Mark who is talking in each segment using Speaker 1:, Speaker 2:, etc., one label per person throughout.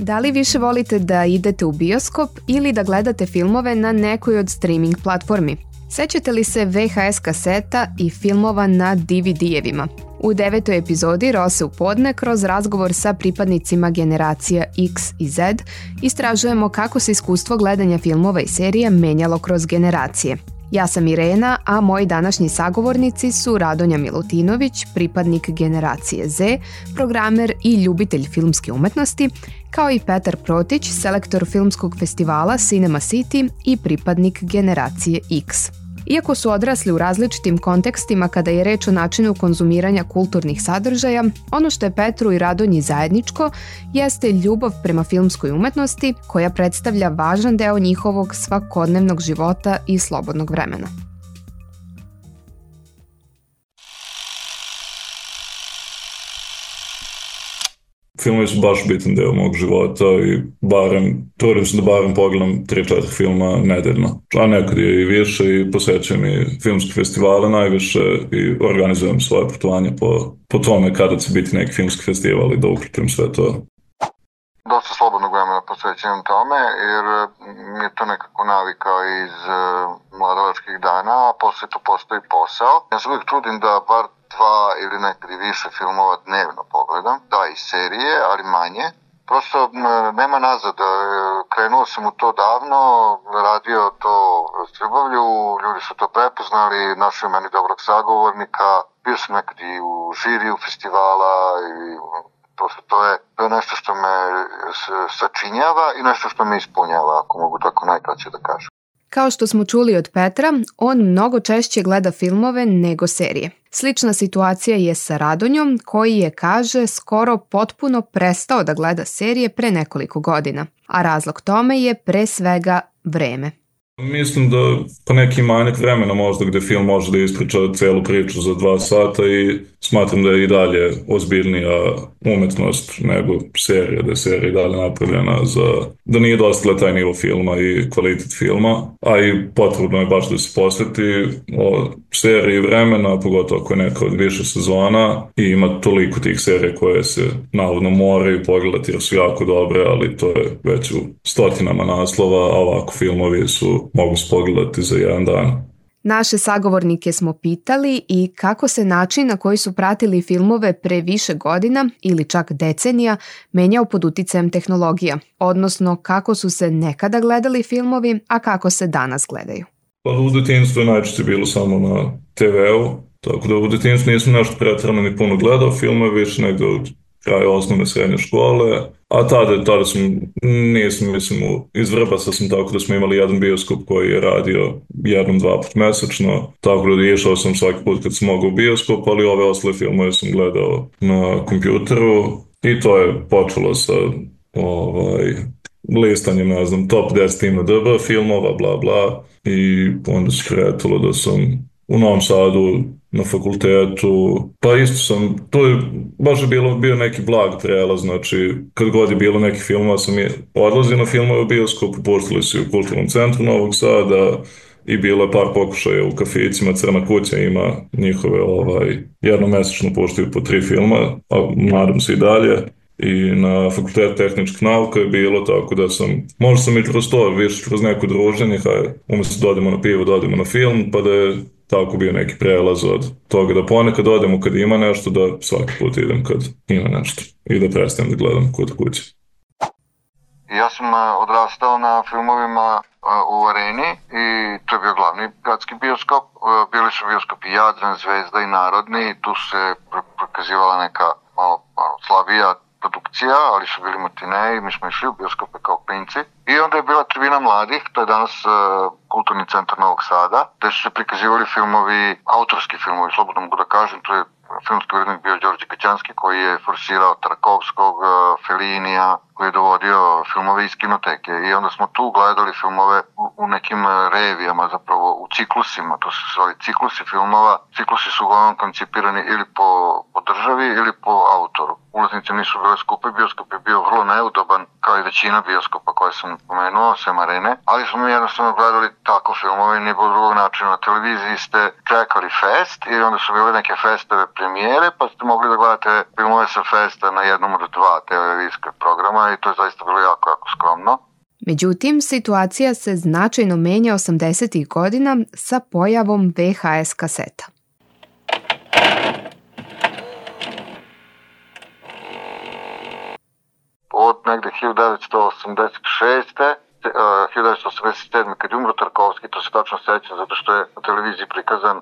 Speaker 1: Da li više volite da idete u bioskop ili da gledate filmove na nekoj od streaming platformi? Sećate li se VHS kaseta i filmova na DVD-evima? U 9. epizodi Rose u podne kroz razgovor sa pripadnicima generacija X i Z istražujemo kako se iskustvo gledanja filmova i serija menjalo kroz generacije. Ja sam Irena, a moji današnji sagovornici su Radonja Milutinović, pripadnik generacije Z, programer i ljubitelj filmske umetnosti, kao i Petar Protić, selektor filmskog festivala Cinema City i pripadnik generacije X. Iako su odrasli u različitim kontekstima kada je reč o načinu konzumiranja kulturnih sadržaja, ono što je Petru i Radonji zajedničko jeste ljubav prema filmskoj umetnosti koja predstavlja važan deo njihovog svakodnevnog života i slobodnog vremena.
Speaker 2: Filmovi su baš bitan deo mog života i trudim se da barem pogledam 3-4 filma nedeljno. A nekad je i više i posećujem i filmske festivale najviše i organizujem svoje putovanje po tome kada će biti neki filmski festival i da uključim sve to.
Speaker 3: Dosta slobodnog vremena posvećujem tome jer mi je to nekako navika iz mladovačkih dana, a posle to postoji posao. Ja se uvijek trudim da bar 2 ili nekad i više filmova dnevno pogledam, da i serije, ali manje. Prosto nema nazad, krenuo sam u to davno, radio to s ljubavlju, ljudi su to prepoznali, našli meni dobrog sagovornika, bio sam nekad i u žiriju festivala i prosto to je nešto što me sačinjava i nešto što me ispunjava, ako mogu tako najkraće da kažem.
Speaker 1: Kao što smo čuli od Petra, on mnogo češće gleda filmove nego serije. Slična situacija je sa Radonjom, koji je, kaže, skoro potpuno prestao da gleda serije pre nekoliko godina, a razlog tome je pre svega vreme.
Speaker 2: Mislim da po neki manjak vremena možda gde film može da ispriča celu priču za 2 sata i smatram da je i dalje ozbiljnija umetnost nego serija, da je serija i dalje napravljena da nije dostigla taj nivo filma i kvalitet filma, a i potrebno je baš da se posveti o seriji vremena, pogotovo ako je neka od više sezona i ima toliko tih serija koje se navodno moraju pogledati jer su jako dobre, ali to je već u stotinama naslova, a ovako filmovi mogu se pogledati za jedan dan.
Speaker 1: Naše sagovornike smo pitali i kako se način na koji su pratili filmove pre više godina ili čak decenija menjao pod uticajem tehnologija, odnosno kako su se nekada gledali filmovi, a kako se danas gledaju.
Speaker 2: Pa u detinjstvu je najčešće bilo samo na TV-u, tako da u detinjstvu nisam nešto pretrano ni puno gledao filmove, više negde od kraja osnovne srednje škole, a tada iz Vrbasa sam tako da smo imali jedan bioskop koji je radio 1-2 put mesečno, tako da išao sam svaki put kad sam mogao u bioskop, ali ove ostale filmove sam gledao na kompjuteru i to je počelo sa listanjem, ne znam, top 10 IMDb filmova, bla bla, i onda se kretalo da sam u Novom Sadu na fakultetu, pa isto sam, to je baš bio neki blag prelaz, znači kad god je bilo neki filmova sam odlazio na filmove u bioskopu, pustili su u Kulturnom centru Novog Sada i bilo je par pokušaja u kaficima, Crna kuća ima njihove jednomesečno puštaju po 3 filma, a nadam se i dalje. I na Fakultetu tehničkih nauka je bilo tako da možda sam i kroz to, više kroz neko druženje, umjesto da odemo na pivo, da odemo na film, pa da je tako bio neki prelaz od toga da ponekad odemo kad ima nešto, da svaki put idem kad ima nešto i da prestanem da gledam kod kuće.
Speaker 3: Ja sam odrastao na filmovima u Areni i to je bio glavni gradski bioskop. Bili su bioskopi Jadran, Zvezda i Narodni i tu se prikazivala neka malo slabija produkcija, ali su bili matineji, mi smo išli u bioskope kao klinci. I onda je bila Tribina mladih, to je danas Kulturni centar Novog Sada, gde su se prikazivali filmovi, autorski filmovi, slobodno mogu da kažem, to je filmski urednik bio Đorđe Kaćanski koji je forsirao Tarkovskog, Fellinija, koji je dovodio filmove iz kinoteke i onda smo tu gledali filmove u nekim revijama, zapravo u ciklusima, to su zvali ciklusi filmova. Ciklusi su uglavnom koncipirani ili po državi ili po autoru. Ulaznice nisu bile skupe, bioskop je bio vrlo neudoban, kao i većina bioskopa koje sam pomenuo, sem Arene, ali smo mi jednostavno gledali tako filmove, nije bilo drugog načina. Na televiziji ste čekali fest i onda su bile neke festove premijere, pa ste mogli da gledate filmove sa festa na jednom od 2 televizijska programa i to je zaista bilo jako, jako skromno.
Speaker 1: Međutim, situacija se značajno menja 80. godina sa pojavom VHS kaseta.
Speaker 3: Od negde 1986. 1987. kad je umro Tarkovski, to se tačno sećam zato što je na televiziji prikazan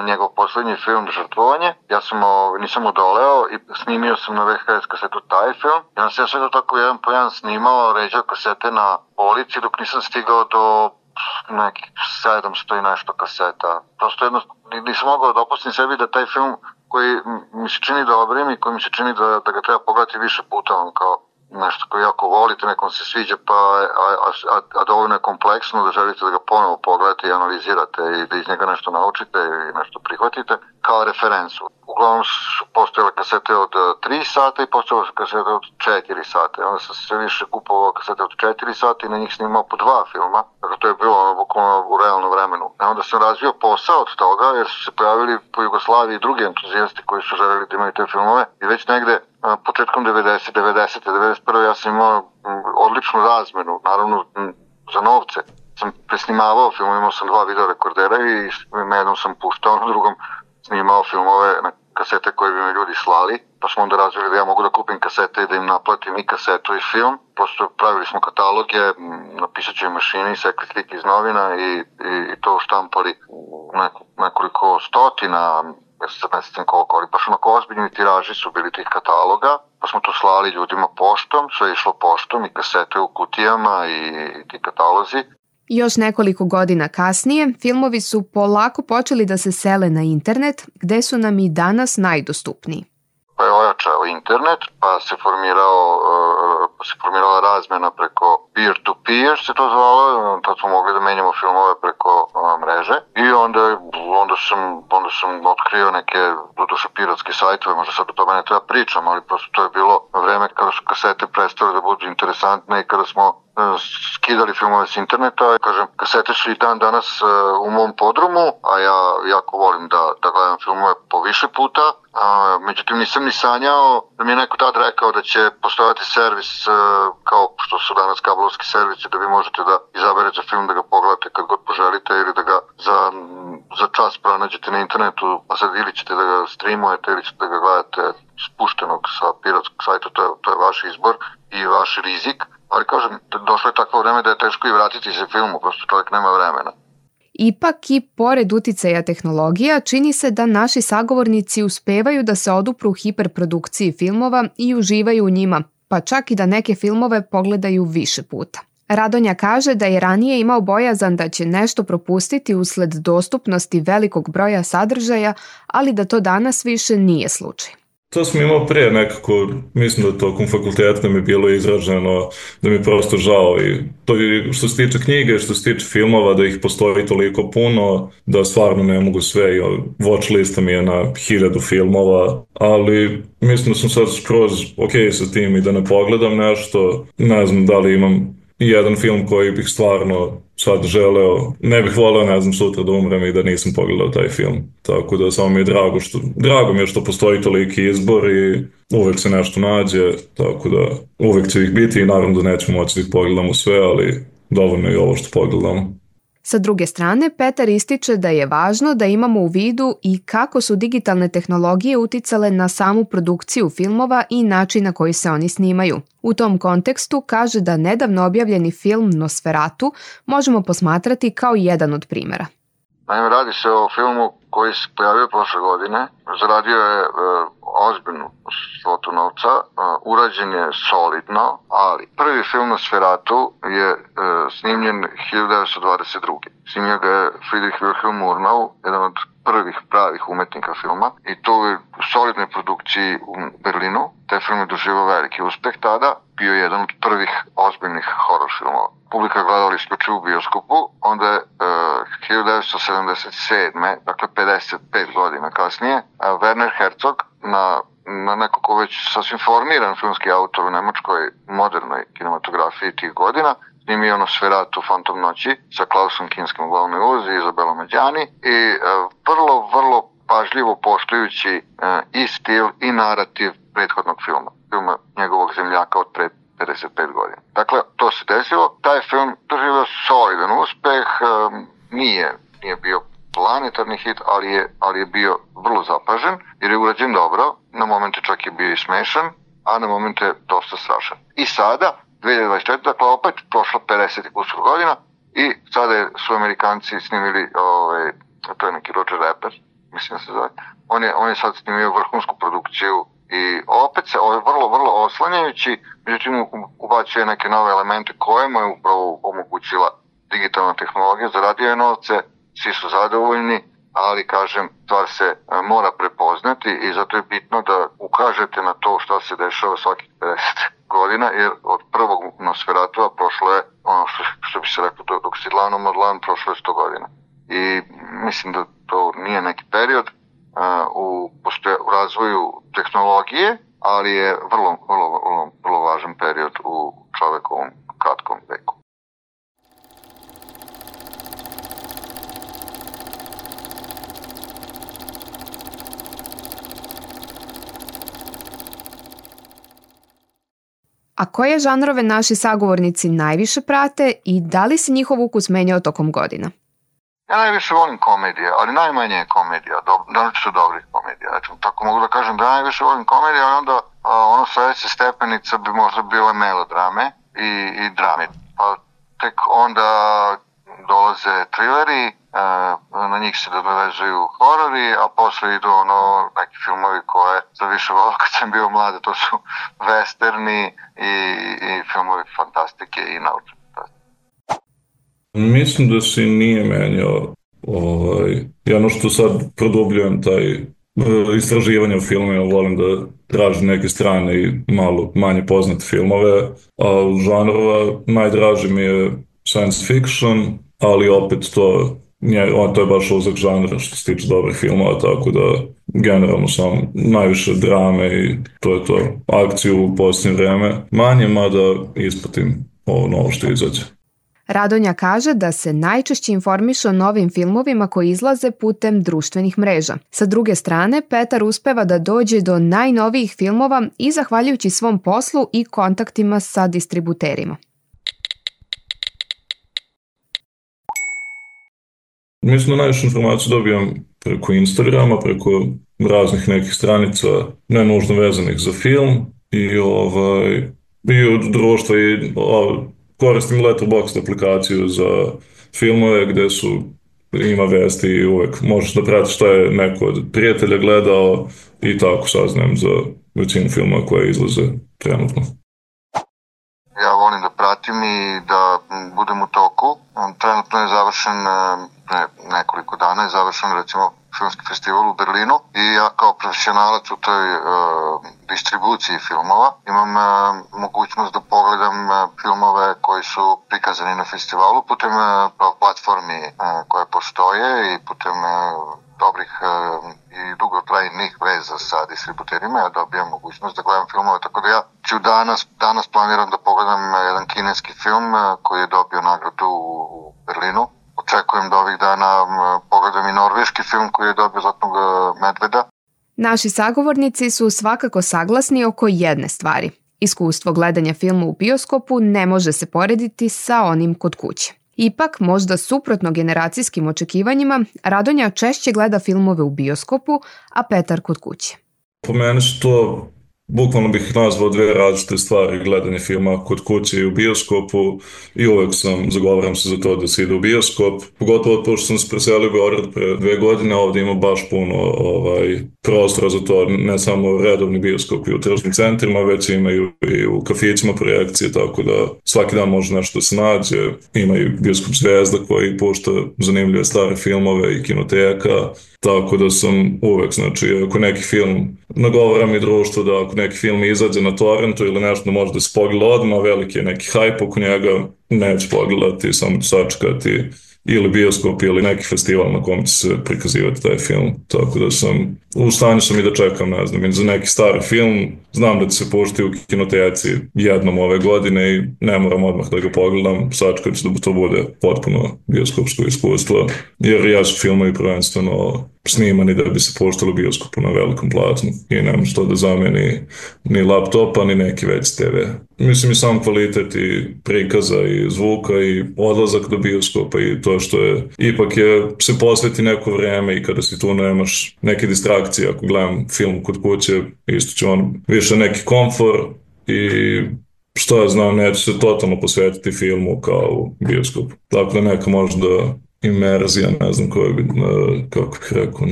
Speaker 3: njegov poslednji film Žrtvovanje. Ja sam nisam odoleo i snimio sam na VHS kasetu taj film. Ja sam sve to tako jedan po jedan snimao, ređao kasete na polici dok nisam stigao do nekih 700 i nešto kaseta. Prosto jednostavno nisam mogao da opustim sebi da taj film koji mi se čini dobrim i koji mi se čini da ga treba pogledati više puta, on kao nešto koje jako volite, nekom se sviđa, a dovoljno je kompleksno da želite da ga ponovo pogledate i analizirate i da iz njega nešto naučite i nešto prihvatite kao referencu. Uglavnom su postojale kasete od 3 sata i postojale su kasete od 4 sata. Onda sam sve više kupovao kasete od 4 sata i na njih snimao po 2 filma. Dakle, to je bilo bukvalno u realnom vremenu. Onda sam razvio posao od toga jer su se pojavili po Jugoslaviji drugi entuzijasti koji su želeli da imaju te filmove i već negde početkom 90. ja sam imao odličnu razmenu, naravno za novce. Sam presnimavao film, imao sam 2 videorekordera i na jednom sam puštao, na drugom snimao filmove na kasete koje bi me ljudi slali. Pa smo onda razvili da ja mogu da kupim kasete i da im naplatim i kasetu i film. Prosto pravili smo kataloge na pisaćoj mašini, sekli slike iz novina i to štampali nekoliko stotina, ja se sad ne sjećam koliko, ali baš onako ozbiljni tiraži su bili tih kataloga, pa smo to slali ljudima poštom, sve je išlo poštom i kasete u kutijama i ti katalozi.
Speaker 1: Još nekoliko godina kasnije, filmovi su polako počeli da se sele na internet, gde su nam i danas najdostupniji.
Speaker 3: Pa je ojačao internet, pa se formirala razmena preko peer-to-peer se to zvalo, tad smo mogli da menjamo filmove preko mreže i onda sam otkrio neke doduše piratske sajtove, možda sad o tome ne treba pričam, ali prosto to je bilo vreme kada su kasete prestale da budu interesantne i kada smo skidali filmove s interneta. Kažem, kasete su i dan danas u mom podrumu, a ja jako volim da gledam filmove po više puta. Međutim, nisam ni sanjao da mi je neko tad rekao da će postojati servis kao što su danas kablovski servisi, da vi možete da izaberete film, da ga pogledate kad god poželite ili da ga za čas pronađete na internetu, a sad ili ćete da ga streamujete ili ćete da ga gledate spuštenog sa piratskog sajta, to je vaš izbor i vaš rizik. Ali kažem, došlo je takvo vreme da je teško i vratiti se filmu, prosto čovjek nema vremena.
Speaker 1: Ipak i pored uticaja tehnologija, čini se da naši sagovornici uspevaju da se odupru hiperprodukciji filmova i uživaju u njima, pa čak i da neke filmove pogledaju više puta. Radonja kaže da je ranije imao bojazan da će nešto propustiti usled dostupnosti velikog broja sadržaja, ali da to danas više nije slučaj.
Speaker 2: To sam imao prije nekako, mislim da tokom fakulteta mi je bilo izraženo da mi je prosto žao i to je što se tiče knjige, što se tiče filmova, da ih postoji toliko puno, da stvarno ne mogu sve, watch lista mi je na 1000 filmova, ali mislim da sam sad skroz ok sa tim i da ne pogledam nešto, ne znam da li imam jedan film koji bih stvarno sad želeo, ne bih voleo, ne znam, sutra da umrem i da nisam pogledao taj film. Tako da samo mi je drago mi je što postoji toliki izbor i uvek se nešto nađe, tako da uvek će ih biti i naravno da nećemo moći da ih pogledamo sve, ali dovoljno je ovo što pogledamo.
Speaker 1: Sa druge strane, Petar ističe da je važno da imamo u vidu i kako su digitalne tehnologije uticale na samu produkciju filmova i način na koji se oni snimaju. U tom kontekstu kaže da nedavno objavljeni film Nosferatu možemo posmatrati kao jedan od primjera.
Speaker 3: Naime, radi se o filmu koji se pojavio prošle godine. Zaradio je ozbiljnu svotu novca, urađen je solidno, ali prvi film Nosferatu je snimljen 1922. Snimio ga je Friedrich Wilhelm Murnau, jedan od prvih pravih umetnika filma, i to u solidnoj produkciji u Berlinu. Taj film je doživao veliki uspeh tada, bio je jedan od prvih ozbiljnih horor filmova. Publika gledala isključivo u bioskopu, onda je 1977. dakle 55 godina kasnije, Werner Herzog na nekako već sasvim formiran filmski autor u nemačkoj modernoj kinematografiji tih godina, snimio Nosferatu Fantom noći sa Klausom Kinskim u glavnoj ulozi i Izabelom Adjani i vrlo pažljivo poštujući i stil i narativ prethodnog filma njegovog zemljaka od pre 55 godina. Dakle, to se desilo. Taj film doživio solidan uspeh, nije bio planetarni hit, ali je bio vrlo zapažen, jer je urađen dobro, na momente čak je bio i smešan, a na momente dosta strašan. I sada, 2024, dakle opet prošla 50 kusur godina i sada su Amerikanci snimili, to je neki Roger Raper, mislim da se zove, on je sad snimio vrhunsku produkciju i opet se vrlo oslanjajući, međutim ubacuje neke nove elemente koje mu je upravo omogućila digitalna tehnologija, zaradio je novce, svi su zadovoljni, ali kažem, stvar se mora prepoznati i zato je bitno da ukažete na to šta se dešava svakih 50 godina, jer od prvog Nosferatova prošlo je, ono što bi se rekao, dok si dlanom od dlan, prošlo je 100 godina. I mislim da to nije neki period u razvoju tehnologije, ali je vrlo važan period u čovekovom kratkom veku.
Speaker 1: A koje žanrove naši sagovornici najviše prate i da li se njihov ukus menjao tokom godina?
Speaker 3: Ja najviše volim komedije, ali najmanje je komedija, naročito dobrih komedija. Znači, tako mogu da kažem da najviše volim komedije, ali onda ono sledeća stepenica bi možda bile melodrame i drame. Pa tek onda dolaze trileri, na njih se dovezuju horori, a posle idu neki filmovi koje sam više volao kad sam bio mlad, to su westerni i filmovi fantastike i naučne fantastike.
Speaker 2: Mislim da se nije menjao. Ja što sad produbljujem taj istraživanje o filmima, volim da tražim neke strane i malo manje poznate filmove, a žanrova najdraži mi je science fiction, ali opet to je baš uzak žanra što se tiče dobrih filmova, tako da generalno sam najviše drame i to je to. Akciju u posljednje vreme manje, mada ispratim ovo novo što izađe.
Speaker 1: Radonja kaže da se najčešće informiše o novim filmovima koji izlaze putem društvenih mreža. Sa druge strane, Petar uspeva da dođe do najnovijih filmova i zahvaljujući svom poslu i kontaktima sa distributerima.
Speaker 2: Mislim da najviše informaciju dobijam preko Instagrama, preko raznih nekih stranica, ne nužno vezanih za film i od društva i koristim Letterboxd aplikaciju za filmove gde ima vesti i uvek možeš da pratiš šta je neko od prijatelja gledao i tako saznajem za većinu filmova koje izlaze trenutno.
Speaker 3: Ja volim da pratim i da budem u toku. Trenutno je završen, nekoliko dana je završen recimo filmski festival u Berlinu i ja kao profesionalac u toj distribuciji filmova imam mogućnost da pogledam filmove koji su prikazani na festivalu putem platformi koje postoje i putem dobrih i dugotrajnih veza sa distributerima. Ja dobijam mogućnost da gledam filmove, tako da ja ću danas planiram da pogledam jedan kineski film koji je dobio nagradu u Berlinu. Očekujem da ovih dana pogledam i norveški film koji je dobio Zlatnog medveda.
Speaker 1: Naši sagovornici su svakako saglasni oko jedne stvari. Iskustvo gledanja filma u bioskopu ne može se porediti sa onim kod kuće. Ipak, možda suprotno generacijskim očekivanjima, Radonja češće gleda filmove u bioskopu, a Petar kod kuće.
Speaker 2: Po meni su to, bukvalno bih nazvao dve različite stvari, gledanje filma kod kuće i u bioskopu i uvek zagovaram se za to da se ide u bioskop. Pogotovo pošto sam se preselio u Beograd pre 2 godine, ovdje ima baš puno prostora za to, ne samo redovni bioskop i u tržnim centrima, već imaju i u kafićima projekcije, tako da svaki dan može nešto da se nađe. Ima i bioskop Zvezda koji pušta zanimljive stare filmove i kinoteka, tako da sam uvek, znači, ako neki film, nagovaram i društvo da ako neki film izađe na torrentu ili nešto može da se pogleda odmah, veliki je neki hype oko njega, neću pogledati, samo ću sačekati ili bioskop ili neki festival na kom će se prikazivati taj film, tako da u stanju sam i da čekam, ne znam, za neki stari film, znam da će se puštiti u kinoteci jednom ove godine i ne moram odmah da ga pogledam, sačekat ću da to bude potpuno bioskopsko iskustvo, jer ja su filmovi prvenstveno snimani da bi se puštali u bioskopu na velikom platnu i nema što da zameni ni laptopa ni neki veći TV. Mislim i sam kvalitet i prikaza i zvuka i odlazak do bioskopa i to što je ipak se posveti neko vreme i kada si tu nemaš neke distrakcije. Ako gledam film kod kuće, isto će on više neki komfor i što ja znam, neću se totalno posvetiti filmu kao u bioskopu. Tako da neka možda imerzija, ne znam kako bih rekao,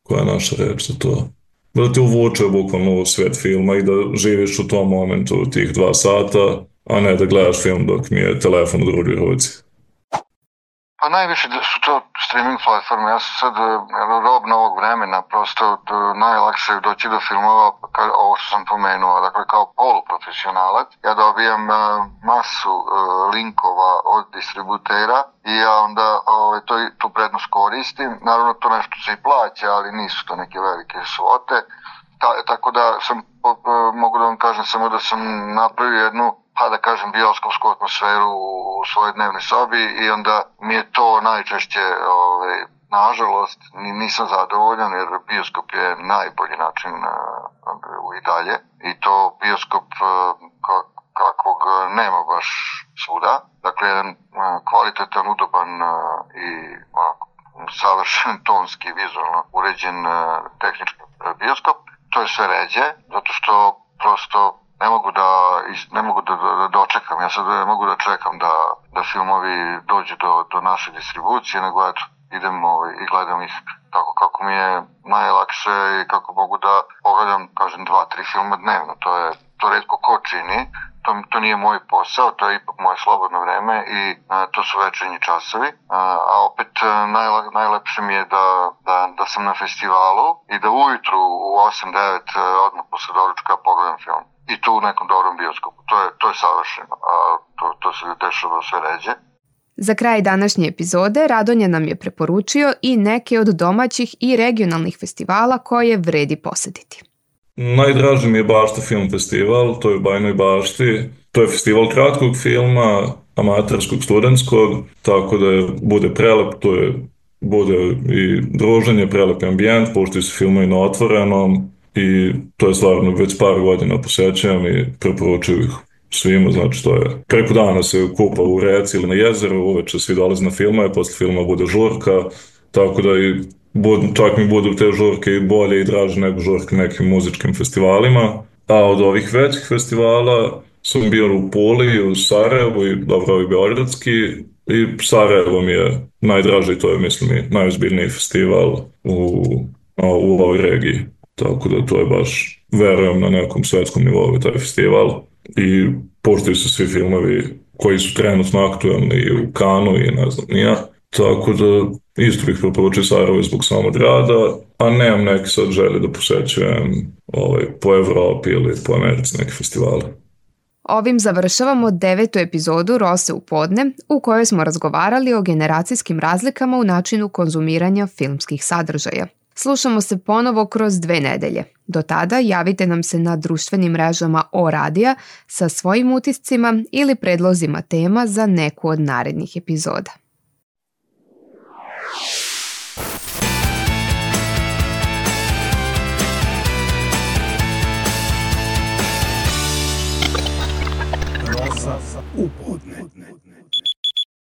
Speaker 2: koja je naša reč za to. Da te uvuče bukvalno u svet filma i da živiš u tom momentu tih 2 sata, a ne da gledaš film dok mi je telefon u drugoj ruci.
Speaker 3: Pa najviše su to streaming platforme. Ja sam sad rob novog vremena, prosto najlakše je doći do filmova, ovo što sam pomenuo, dakle kao poluprofesionalac. Ja dobijam masu linkova od distributera i ja onda tu prednost koristim. Naravno to nešto se i plaća, ali nisu to neke velike svote. Tako da mogu da vam kažem samo da sam napravio jednu, pa da kažem, bioskopsku atmosferu u svojoj dnevnoj sobi i onda mi je to najčešće, nažalost, nisam zadovoljan jer bioskop je najbolji način i dalje i to bioskop kakvog nema baš svuda. Dakle, jedan kvalitetan, udoban i savršen tonski, vizualno uređen tehnički bioskop. To je sve ređe, zato što prosto ne mogu da dočekam. Ja sad ne mogu da čekam da filmovi dođu do naše distribucije, nego idem i gledam ih kako mi je najlakše i kako mogu da pogledam, kažem, 2-3 filma dnevno. To retko ko čini. To nije moj posao, to je ipak moje slobodno vreme i to su večernji časovi. A opet najlepše mi je da sam na festivalu i da ujutru u 8-9 odmah posle doručka pogledam film. I tu u nekom dobrom bioskopu. To je savršeno. To se dešava sve ređe.
Speaker 1: Za kraj današnje epizode Radonja nam je preporučio i neke od domaćih i regionalnih festivala koje vredi posetiti.
Speaker 2: Najdraži mi je Bašta film festival, to je u Bajnoj Bašti. To je festival kratkog filma, amaterskog, studentskog, tako da bude prelep, bude i druženje, prelep ambijent, puštaju se filmovi na otvorenom i to je stvarno već par godina posećujem i preporučuju ih svima, znači to je preko dana se kupa u reci ili na jezeru, uveče svi dolaze na filmove, posle filma bude žurka, tako da i čak mi budu te žurke i bolje i draže nego žurke nekim muzičkim festivalima. A od ovih većih festivala sam bio u Puli, u Sarajevu i dobro i Beogradski i Sarajevo mi je najdraži, to je mislim i najozbiljniji festival u ovoj regiji. Tako da to je baš, verujem, na nekom svetskom nivou taj festival i puštaju se svi filmovi koji su trenutno aktualni i u Kanu i ne znam nija. Tako da isto bih preporučio Sarajevo zbog samog grada, a nemam neki sad želje da posećujem po Evropi ili po Americi neki festivale.
Speaker 1: Ovim završavamo 9. epizodu Rose u podne, u kojoj smo razgovarali o generacijskim razlikama u načinu konzumiranja filmskih sadržaja. Slušamo se ponovo kroz 2 nedelje. Do tada javite nam se na društvenim mrežama O-radija sa svojim utiscima ili predlozima tema za neku od narednih epizoda.
Speaker 4: Rosa u podne.